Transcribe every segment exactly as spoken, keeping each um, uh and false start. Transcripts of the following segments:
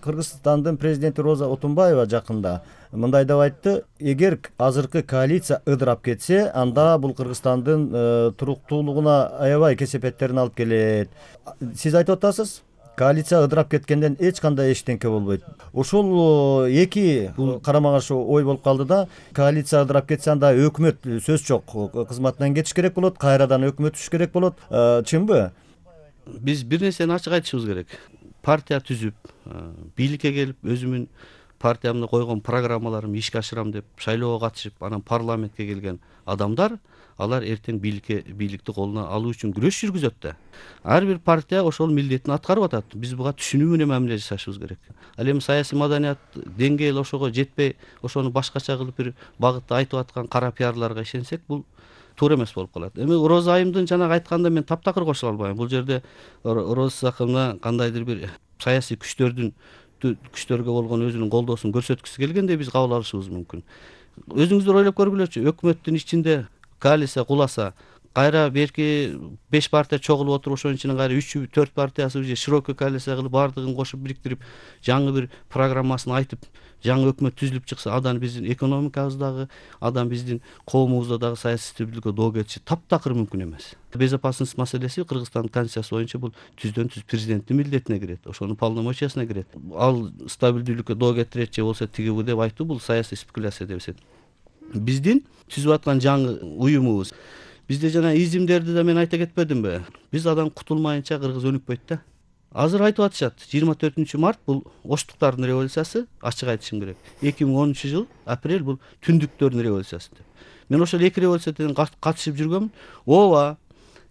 Кыргызстандын президенти Роза Отунбаева жакында мындай деп айтты: эгер азыркы коалиция ыдырап кетсе, анда бул Кыргызстандын туруктуулугуна аябай кесепеттерин алып келет. Сиз айтып атасыз, коалиция ыдырап кеткенден эч кандай эчтеңке болбойт. Ошол эки бул карама каршы ой болуп калды да, коалиция ыдырап кетсе, анда өкмөт сөз жок, кызматынан кетиш керек болот, кайрадан өкмөт түшүш керек болот. Чынбы? Биз бир нерсени ачык айтышыбыз керек. Партия түзүп, бийликке келип, өзүмүн партиямда койгон программаларымды ишке ашырам деп шайлоого катышып, анан парламентке келген адамдар, алар эртең бийликке бийликти колуна алуу үчүн күрөш жүргүзөт да. Ар бир партия ошол милдетин аткарып атат. Биз буга түшүнүү менен мамиле жасашыбыз керек. Ал эми саясий маданият деңгээли ошого жетпей, ошону башкача кылып бир багытта айтып аткан кара пиарларга ишенсек, бул туура эмес болуп калат. Эми Роза айымдын жанагы айтканына мен таптакыр кошула албайм. Бул жерде Роза акымына кандайдыр бир саясий күчтөрдүн күчтөргө болгон өзүнүн колдоосун көрсөткүсү келгендей биз кабыл алышыбыз мүмкүн. Өзүңүздөр ойлоп көргүлөчү, өкмөттүн ичинде коалиция куласа, кайра берки беш партия чогулуп отуруп, ошонун ичинен кайра үч төрт партиясы же широкий коалиция кылып, баардыгын кошуп бириктирип, жаңы бир программасын айтып, жаңы өкмөт түзүлүп чыкса, адан биздин экономикабыздагы, адан биздин коомубузда дагы саясий стабилдүүлүккө доо кетиши таптакыр мүмкүн эмес. Безопасность маселеси Кыргызстандын конституциясы боюнча бул түздөн түз президенттин милдетине кирет, ошонун полномочиясына кирет. Ал стабилдүүлүккө доо кетирет же болбосо тигиби деп айтуу бул саясий спекуляция деп эсептейм. Биздин түзүп аткан жаңы уюмубуз, бизде жана изимдерди да мен айта кетпедимби? Биз адан кутулмайынча кыргыз өнүкпөйт да. Азыр айтып атышат, жыйырма төртүнчү март бул оштуктардын революциясы, ачык айтышым керек. эки миң онунчу жыл апрель бул түндүктөрдүн революциясы деп. Мен ошол эки революциядан катышып жүргөм. Ооба,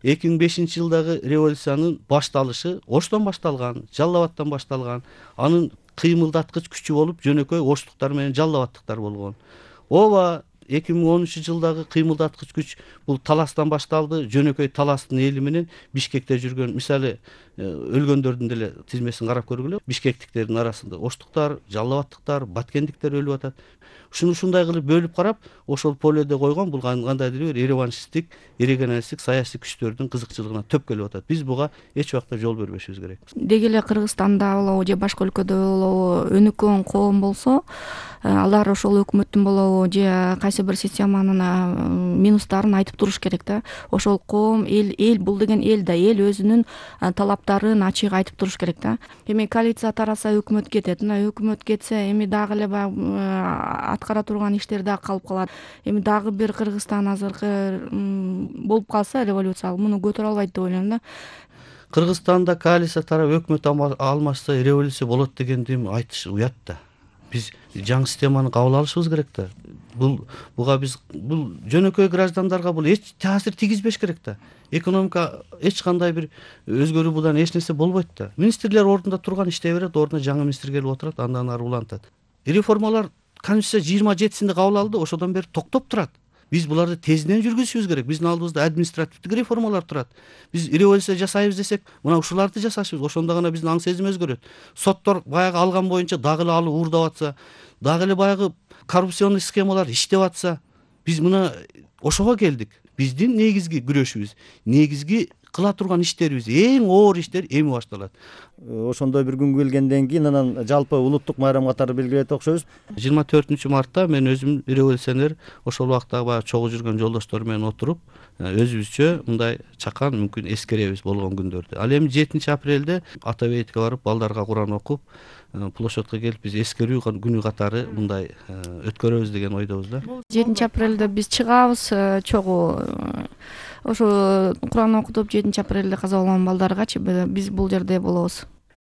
эки миң бешинчи жылдагы революциянын башталышы Оштон башталган, Жалал Абадтан башталган. Анын кыймылдаткыч күчү болуп жөнөкөй оштуктар менен Жалал Абадтыктар болгон. Ооба, эки миң онунчу жылдагы кыймылдаткыч күч бул Таластан башталды. Жөнөкөй Таластын эли менен Бишкекте жүргөн, мисалы, өлгөндөрдүн деле тизмесин карап көргүлө. Бишкектиктердин арасында оштуктар, Жалал Абадтыктар, Баткендиктер өлүп атат. Ушуну ушундай кылып бөлүп карап, ошол поледе койгон бул кандайдыр бир реваншисттик, регионалисттик саясий күчтөрдүн кызыкчылыгына төп келип атат. Биз буга эч убакта жол бербешибиз керек. Деги эле Кыргызстанда болобу же башка өлкөдө болобу өнүккөн коом болсо, алар ошол өкмөттүн болобу же кайсы бир системанын минустарын айтып туруш керек да. Ошол коом, эл, эл бул деген эл да, эл өзүнүн талаптарын ачык айтып туруш керек да. Эми коалиция тараса өкмөт кетет. Мына өкмөт кетсе, эми дагы эле аткара турган иштер дагы калып калат. Эми дагы бир Кыргызстан азыркы болуп калса революция, муну көтөрө албайт деп ойлойм да. Кыргызстанда коалиция тарап өкмөт алмашса революция болот дегенди айтыш уят да. Биз жаңы системаны кабыл алышыбыз керек да. Бул буга биз бул жөнөкөй граждандарга бул эч таасир тийгизбеш керек да. Экономика эч кандай бир өзгөрүү будан эч нерсе болбойт да. Министрлер ордунда турган иштей берет, ордуна жаңы министр келип отурат, андан ары улантат. Реформалар Конституция жыйырма жетисинде кабыл алынды, ошодон бери токтоп турат. Биз буларды тезинен жүргүзүшүбүз керек. Биздин алдыбызда административдик реформалар турат. Биз революция жасайбыз десек, мына ушуларды жасашыбыз, ошондо гана биздин аң сезим өзгөрөт. Соттор баягы алган боюнча дагы эле алып уурдап атса, дагы эле баягы коррупционный схемалар иштеп атса, биз мына ошого келдик. Биздин негизги күрөшүбүз, негизги кыла турган иштерибиз, эң оор иштер эми башталат. Ошондой бир күнгө келгенден кийин анан жалпы улуттук байрам катары белгилейт окшойбуз. жыйырма төртүнчү мартта мен өзүм революционер ошол убакта баягы чогуу жүргөн жолдоштор менен отуруп, өзүбүзчө мындай чакан мүмкүн эскеребиз болгон күндөрдү. Ал эми жетинчи апрелде ата бейитке барып, балдарга Куран окуп, площадка келип биз эскерүү күнү катары мындай өткөрөбүз деген ойдобуз да. жетинчи апрелде биз чыгабыз чогуу. Ошо Куран окутуп жетинчи апрелде каза болгон балдаргачы биз бул жерде болобуз.